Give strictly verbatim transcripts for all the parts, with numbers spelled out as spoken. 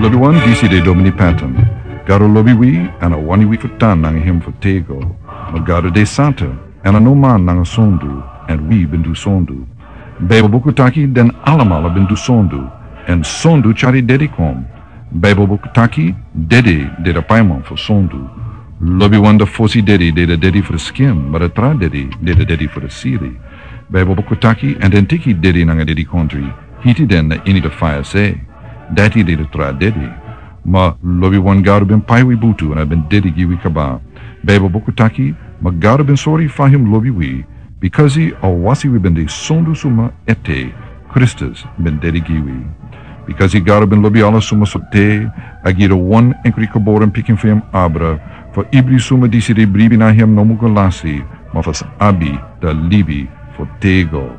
Lobiwan, disi de Domini Patton. Gado lobi wi, èn a wani wi fu tan nanga en fu tego. Ma Gado de santa, èn a no man nanga sondu, èn wi ben du sondu. Baibel buku taki den alamala ben du sondu, èn sondu tyari dede kon. Baibel buku taki dede de a paiman fu sondu. Lobiwan, a fosi dede de a dede fu a skin, ma a tra dede de a dede fu a sili. Baibel buku taki, èn den teki dede nanga dede kondre, hiti den na ini a faya se. Dati de a tra dede. Ma lobiwan, Gado ben pai wi butu, èn a ben dede gi wi kaba. Baibel buku taki, ma Gado ben sori fa en lobi wi, bikasi a wasi wi ben de sondu suma ete, Kristus ben dede gi wi. Bikasi Gado ben lobi ala suma so te, a gi a wan enkri geboren pikin fu en abra, fu ibri suma disi de bribi na en no mu go lasi, ma fu sa abi a libi fu tego.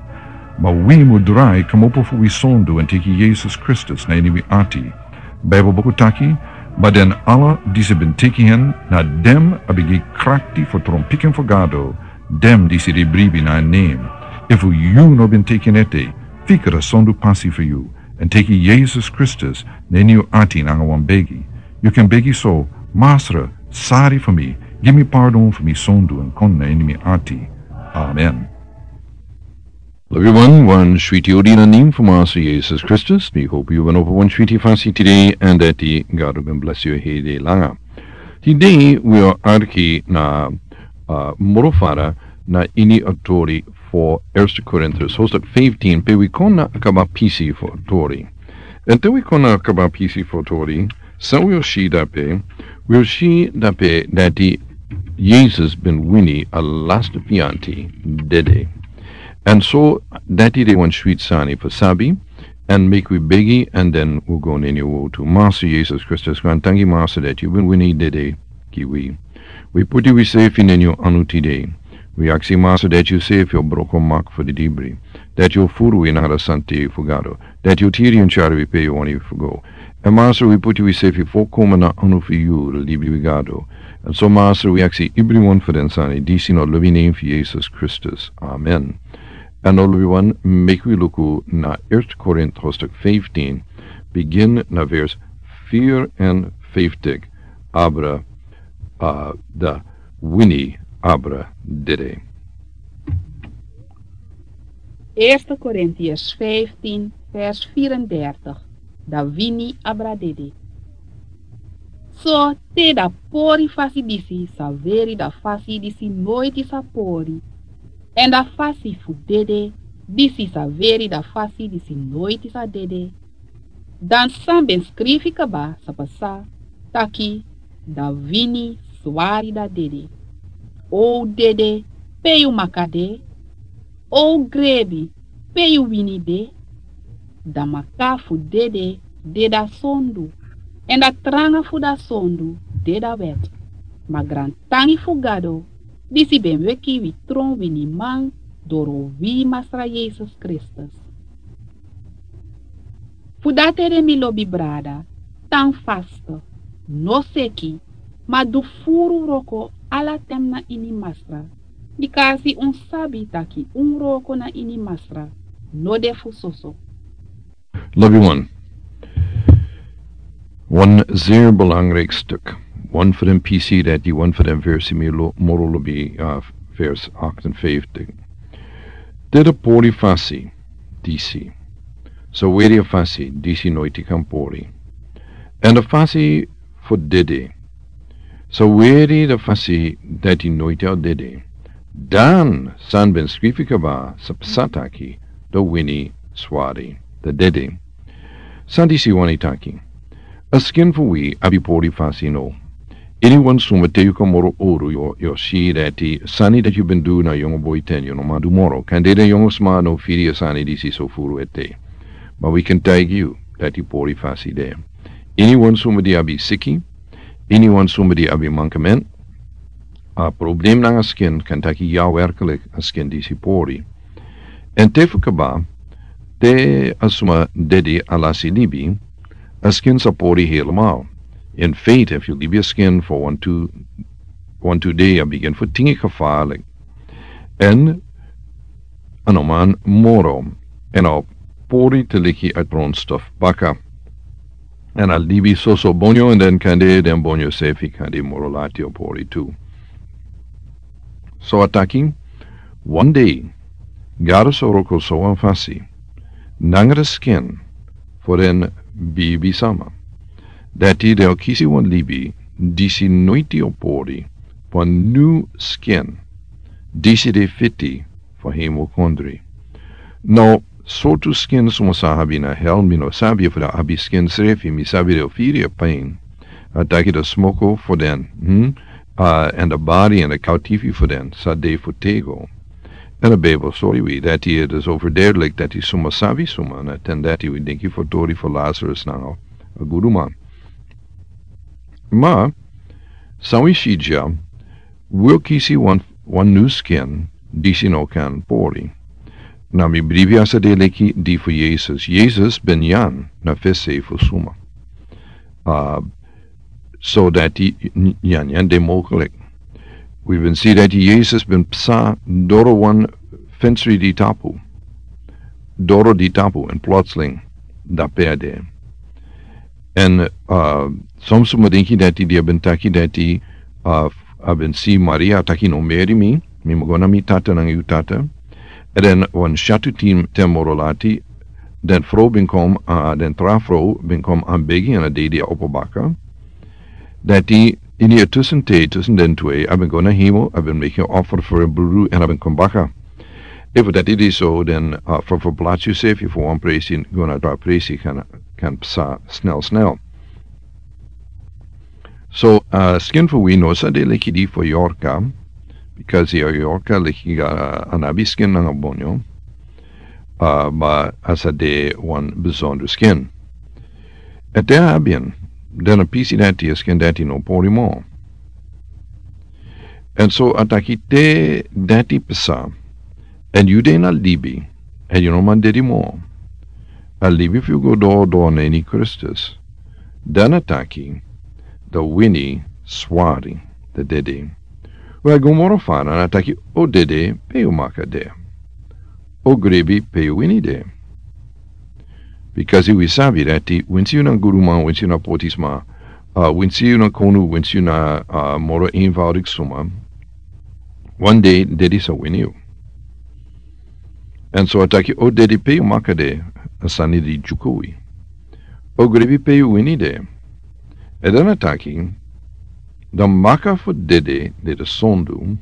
Ma wi mu drai kmopo fu wi sondu èn teki Yesus Kristus na ini wi ati. Baibel buku taki, ma den ala disi ben teki en, na den a ben gi krakti fu tron pikin fu Gado, den disi de bribi na en nen. Efu yu no ben teki en ete, fika a sondu pasi fu yu, èn teki Yesus Kristus na ini yu ati nanga wan begi. Yu kan begi so: Masra, sari fu mi, gi mi pardon fu mi sondu èn kon na ini mi ati. Amen. Lobiwan, wan switi odi na nen fu Masra Yesus Kristus. Mi hopi yu ben opo wan switi fasi tide, èn dati Gado ben blesi yu heri langa. Tide wi o arki na, ah, moro fara na ini a tori fu Eerste Korintus, hoofdstuk fifteen, pe wi kon na a kaba pisi fu a tori. Èn te wi kon na a kaba pisi fu a tori, san wi o si drape, wi o si drape dati Yesus ben wini a lasti fianti, dede. Èn so dati de wan switi sani fu sabi, èn meki wi begi, èn den wi go na ini a wortu. Masra Yesus Kristus, gaantangi Masra dati yu ben wini dede gi wi. Wi poti wisefi na ini yu anu tide. Wi aksi Masra dati yusefi o broko mak fu didibri. Dati yu o furu wi na a santa fu Gado. Dati yu o tiri èn tyari wi pe yu wani fu go. Èn Masra, wi poti wisefi folkomen na anu fu yu, a libi fu Gado. Èn so Masra, wi aksi ibriwan fu den sani disi na a lobi nen fu Yesus Kristus. Amen. Èn now lobiwan, meki wi luku na Eerste Korintus hoofdstuk fifteen, bigin na vers vierenvijftig, abra, ah, dan wini abra dede. Eerste Korintiërs vijftien, vers vierendertig, dan wini abra dede. So te a pori fasi disi sa weri a fasi disi noiti sa pori, èn a fasi fu dede disi sa weri a fasi disi noiti sa dede, dan san ben skrifi kaba sa pasa, taki: Dan wini swari dan dede. O dede, pe yu maka de? O grebi, pe yu wini de? Dan maka fu dede de a sondu, èn a tranga fu a sondu de a wet. Ma grantangi fu Gado, disi ben weki wi tron winiman doro wi Masra Yesus Kristus. Fu dati ede, mi lobi brada, tan fasti, no seki, ma du furu wroko ala ten na ini Masra, bikasi un sabi taki un wroko na ini Masra no de fu soso. Lobiwan, wan zeer belangrijk stuk. Wan fu den pisi dati, wan fu den versi, mi lo-, moro lobi, ah, vers achtenvijftig. Te a pori fasi disi sa weri a fasi disi noiti kan pori, èn a fasi fu dede sa weri a fasi dati noiti o dede, dan san ben skrifi kaba sa pasa, taki: Dan wini swari dan dede. San disi wani taki? A skin fu wi abi pori fasi, no? Iniwan suma, te yu kon moro owru, yu o, yu o si dati sani dati yu ben du na yongu boi ten, yu no man du moro. Kande den yongu sma no firi a sani disi so furu ete. Ma wi kan taigi yu dati pori fasi de. Iniwan suma di abi siki, iniwan suma di abi mankement, a problem nanga skin, kan taki: Ya, werkelijk, a skin disi pori. Èn te fu kaba, te a suma dede, a lasi libi, a skin sa pori helemaal. In feite, efu yu libi a skin fu wantu, wantu dei, a bigin fu tingi gevaarlijk. Èn a no man moro, èn a o pori te leki a grondstof baka. Èn a libi soso bonyo, èn den kande den bonyo sefi kande moro lati o pori tu. So a taki, wan dei, Gado sa wroko so wan fasi, nanga den skin fu den bibisma, dati den o kisi wan libi disi noiti o pori, wan nu skin disi de fiti fu hemel kondre. Now, sortu skin suma sa abi na hel, mi no sabi efu den abi skin srefi, mi sabi den o firi a pain. A taki den smoko fu den, hmm? Uh, èn den bari èn den kautifi fu den sa de fu tego. Èn a Bijbel sori wi dati it is overduidelijk dati suma sabi suma, na ten dati wi denki fu tori fu Lazarus nanga a guduman. Ma san wi si dya, wi o kisi wan, wan nu skin disi no kan pori. Na mi bribi a sa de leki di fu Yesus. Yesus ben nyan na fesi fu suma. Uh, so dati nyanyan de mogelik. Wi ben si dati Yesus ben psa doro wan fensri di tapu. Doro di tapu, èn plotseling dape a de. Èn, uh, son suma denki dati di a ben taki dati, uh, a ben si Maria, a taki no meri mi, mi mu go na mi tata nanga yu tata. Èn den wan syatu tin ten moro lati, den frow ben kon, uh, den tra frow ben kon anbegi èn a dede a opo baka. Dati ini a tusen te, tusen den twe, a ben go na hemel, a ben meki a offer fu a brudu èn a ben kon baka. Efu dati de so, den, uh, fu, fu plati yu sefi fu wan presi go na tra presi kan, kan psa snel snel. So, uh, skin fu wi no sa de leki di fu yorka, because di yorka leki, uh, a no abi skin nanga bonyo, uh, ma a sa de wan besonder skin. Èn te a abi en, den a pisi dati a skin dati no pori moro. Èn so a taki te dati psa, èn yu de na libi, èn yu no man dede moro. A libi fu yu go doro doro na ini Kristus. Dan a taki, dan wini swari, dan dede. We a go moro fara, dan a taki, o dede, pe yu maka de. O grebi, pe yu wini de. Bikasi wi sabi dati, winsi yu na guduman, winsi yu na potisma, uh, winsi yu na konu, winsi yu na, uh, moro eenvoudig suma, wan dei dede sa wini yu. Èn so a taki, o dede, pe yu maka de, a sani di dyuku wi. O grebi, pe yu wini de. Èn dan a taki, dan maka fu dede de de sondu,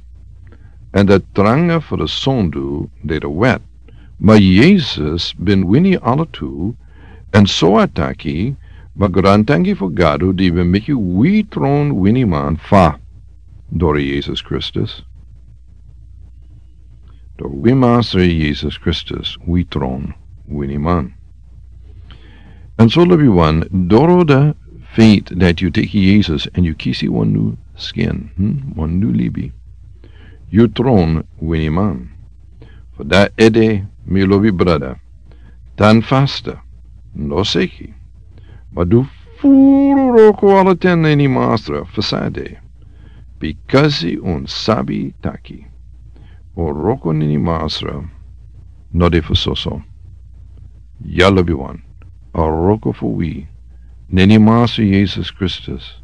èn dan tranga fu de sondu de de wet. Ma Yesus ben wini ala tu, èn so a taki, ma grantangi fu Gado di ben meki wi tron winiman fa, doro Yesus Kristus. Doro wi Masra Yesus Kristus, wi tron winiman. Èn so lobiwan, doro da feit dati yu teki Yesus èn yu kisi wan nu skin, hmm? Wan nu libi. Yu tron winiman. Fu dati ede, mi lobi brada, tan fasta, no seki, ma du furu wroko ala ten na ini Masra fu san a de. Bikasi un sabi taki, un wroko na ini Masra no de fu soso. Ya lobiwan, a wroko fu wi na ini Masra Yesus Kristus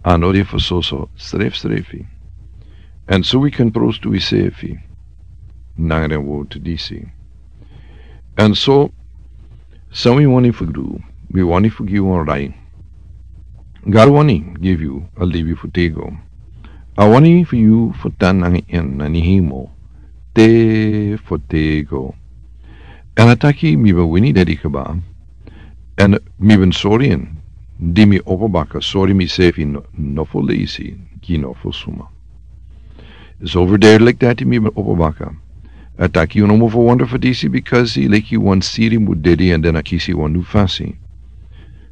a no de fu soso srefsrefi. Èn so wi kan prostu wi sefi nanga den wortu disi. Èn so, san wi wani fu du, wi wani fu gi wan rai. Gado wani gi yu a libi fu tego. A wani fu yu fu tan nanga en na ini hemel te fu tego. Èn a taki, mi ben wini dede kaba. Èn mi ben sori en, di mi opo baka, sori mi sefi no, no fu leisi gi no fu suma. It's overduidelijk dati mi ben opo baka. A taki yu no mu fu wonder fu disi, bikasi leki wan siri mu dede èn dan a kisi wan nu fasi.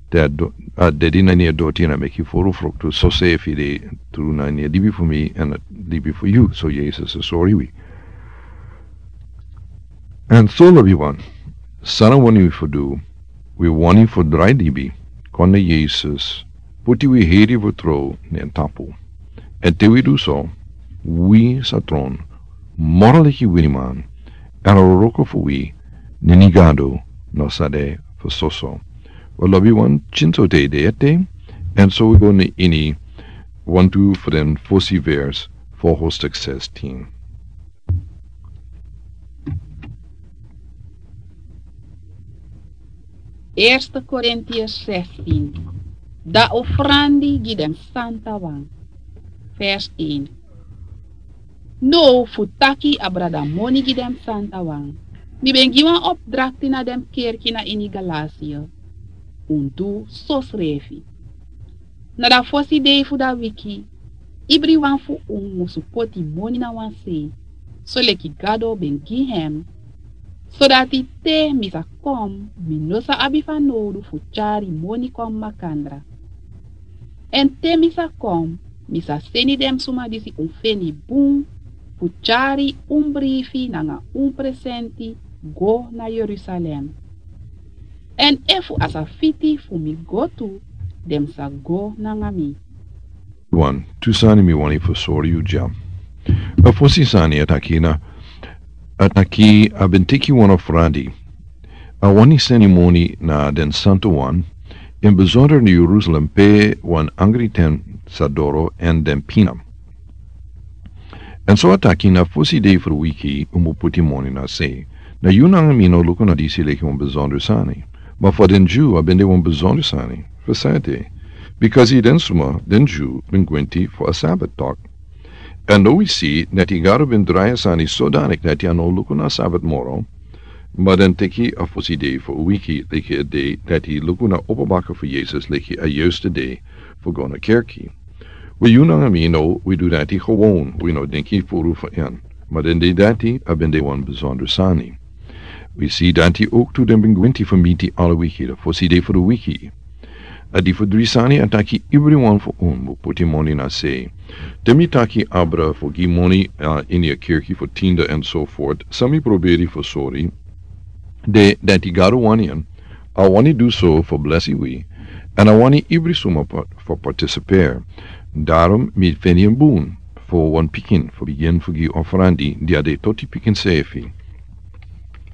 Dati a dede na ini a doti èn a meki furu fruktu, so sefi de tru na ini a libi fu mi èn a libi fu yu, so Yesus a sori wi. Èn so lobiwan, san a wani wi fu du, wi wani fu drai libi kon na Yesus, puti wi heri fu tron na en tapu. Èn te wi du so, wi sa tron moro leki winiman, èn a wroko fu wi na ini Gado no sa de fu soso. Wel, lobi wan, kinso te de ete, en so wi go na ini wantu fu den fosi vers fu hostuk sestien. Eerste Korintiërs zestien. Da ofrandi gi den santa wan. Vers een. No fu taki a brada moni gi den santa wan. Mi ben gi wan opdrakti na den kerki na ini Galatie. Un du so srefi. Na da fosi dei fu da wiki, ibriwan fu un musu poti moni na wan sei, soleki Gado ben gi hem, sodati te mi sa kon, mi no sa abi fanowdu fu tyari moni kon makandra. Èn te mi sa kon, mi sa seni den suma disi un feni bun fu tyari un brifi nanga un presenti go na Yerusalem. Èn efu a sa fiti fu mi go tu, den sa go nanga mi. Wan, tu sani mi wani fu sori yu dya. A fosi sani a taki na, a taki a ben teki wan ofrandi. A wani seni moni na den santu wan, in besonder na Yerusalem pe wan angri ten sa doro èn den pina. Èn so a taki na fosi dei fu wiki un mu poti moni na sei. Na yu nanga mi no luku na disi leki wan besonder sani. Ma fu den Dyu a ben de wan besonder sani. Fu sani te. Bikasi den suma, den Dyu, ben gwenti fu a Sabat tok. Èn now wi si dati Gado ben drai a sani sodanik dati a no luku na Sabat moro. Ma den teki a fosi dei fu wiki leki a dei dati luku na opo baka fu Yesus leki a yuste dei fu go na kerki. Wel, yu nanga mi no, wi du dati gewon, wi no denki furu fu en. Ma den dei dati a ben de wan besonder sani. Wi si dati ook tu den ben gwenti fu miti ala wiki, da fosi dei fu de wiki. A di fu dri sani a taki ibriwan fu un mu poti moni na sei. Te mi taki abra fu gi moni, a, ini a kerki fu tiende èn so voort, san mi proberi fu sori. De dati Gado wani en, a wani du so fu blesi wi, èn a wani ibri suma pa-, fu partisiperi. Daarom mi feni en bun fu wan pikin fu bigin fu gi ofrandi di a de toti pikin srefi.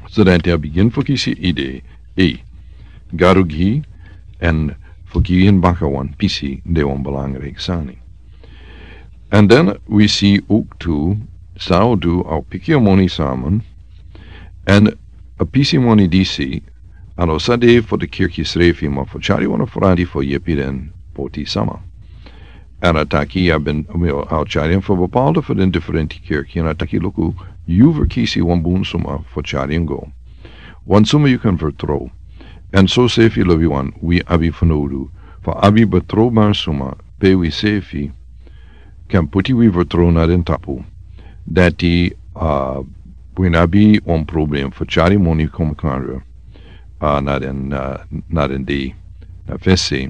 Sodati a bigin fu kisi idee, ei, Gado gi, èn fu gi en baka wan pisi de wan belangrijk sani. Èn den wi si ook tu, san a o du, a o piki a moni samen, èn a pisi moni disi, a no sa de fu de kerki srefi, ma fu tyari wan ofrandi fu yepi den poti sama. Èn a taki a ben, a o tyari en fu bepaalde fu den diferenti kerki, èn a taki luku, yu verkisi wan bun suma fu tyari en go. Wan suma yu kan vertrow. Èn so srefi lobi wan, wi abi fanowdu fu abi betrowbari suma pe wi srefi kan poti wi vertrow na den tapu. Dati, a, wi no abi wan problem fu tyari moni kon makandra, a, na den, a, na den dei, na fesi.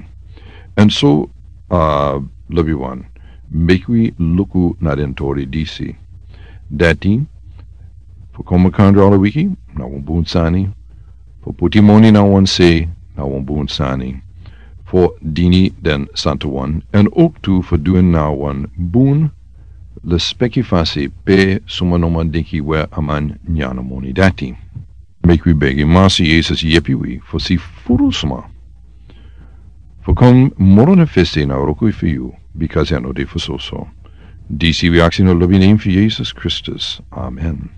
Èn so, a, lobi wan, meki wi luku na den tori disi. Dati, fu kon makandra ala wiki, na wan bun sani. Fu poti moni na wan sei, na wan bun sani. Fu dini den santu wan, èn ook tu fu du en na wan bun lespeki fasi pe suma no man denki we a man nyan a moni dati. Meki wi begi Massa Yesus yepi wi fu si furu suma fu kon moro na fesi na wroko fu yu, bikasi a no de fu soso. Disi wi aksi na lobi nen fu Yesus Kristus. Amen.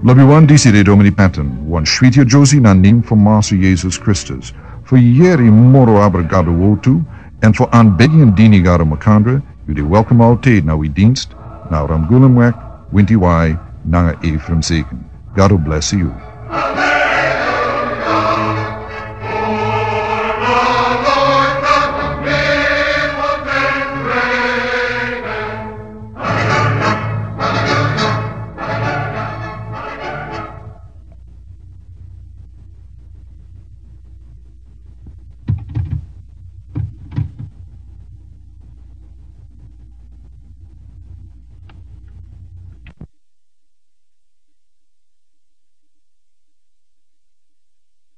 Lobi wan, disi de Domini Patton, wan switi a Josie na nen fu Massa Yesus Kristus. Fu yeri moro abra Gado wotu, èn fu anbegi en dini Gado makandra, yu de welkom altijd na wi dienst, na Ramgulumweg, winti wai, nanga Ephraim Zeken. Gado bless yu.